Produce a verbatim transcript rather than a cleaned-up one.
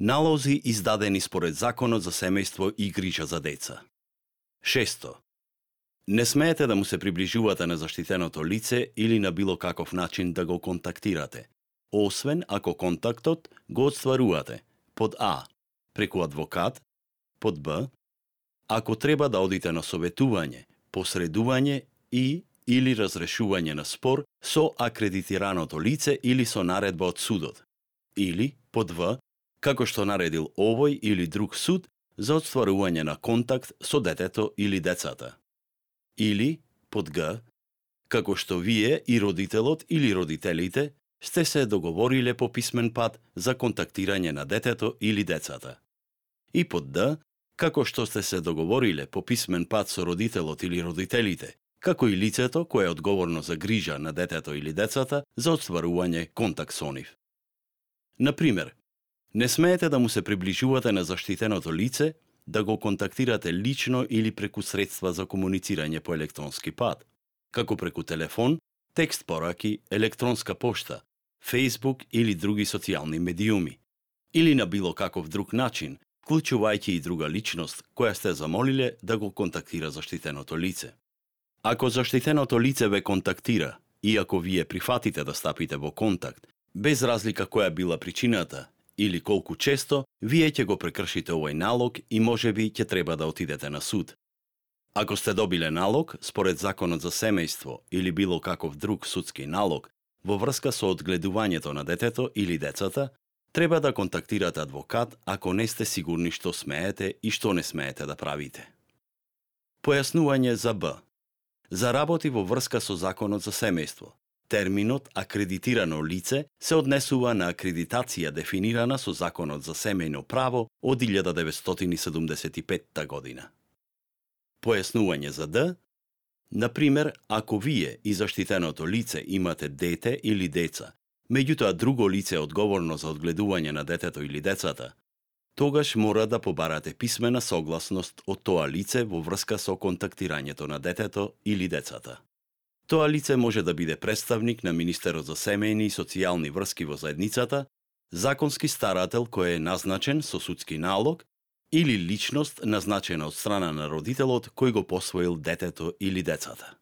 Налози издадени според Законот за семејство и грижа за деца. Шесто. Не смеете да му се приближувате на заштитеното лице или на било каков начин да го контактирате, освен ако контактот го отстварувате под А. преку адвокат, под Б. ако треба да одите на советување, посредување и или разрешување на спор со акредитираното лице или со наредба од судот, или под В. како што наредил овој или друг суд за отстварување на контакт со детето или децата. Или, под Г, како што вие и родителот или родителите сте се договориле по писмен пат за контактирање на детето или децата. И под Д, како што сте се договориле по писмен пат со родителот или родителите, како и лицето кое е одговорно за грижа на детето или децата за отстварување контакт со нив. Например, не смеете да му се приближувате на заштитеното лице, да го контактирате лично или преку средства за комуницирање по електронски пат, како преку телефон, текст пораки, електронска пошта, Facebook или други социјални медиуми, или на било каков друг начин, вклучувајќи и друга личност која сте замолиле да го контактира заштитеното лице. Ако заштитеното лице ве контактира и ако вие прифатите да стапите во контакт, без разлика која била причината или колку често, вие ќе го прекршите овој налог и можеби ќе треба да отидете на суд. Ако сте добиле налог, според Законот за семејство или било каков друг судски налог, во врска со одгледувањето на детето или децата, треба да контактирате адвокат ако не сте сигурни што смеете и што не смеете да правите. Појаснување за Б. За работи во врска со Законот за семејство, терминот акредитирано лице се однесува на акредитација дефинирана со Законот за семејно право од илјада деветстотини и седумдесет и петта година. Појаснување за Д. Например, ако вие и заштитеното лице имате дете или деца, меѓутоа друго лице е одговорно за одгледување на детето или децата, тогаш мора да побарате писмена согласност од тоа лице во врска со контактирањето на детето или децата. Тоа лице може да биде представник на Министерот за семејни и социјални врски во заедницата, законски старател кој е назначен со судски налог или личност назначена од страна на родителот кој го посвоил детето или децата.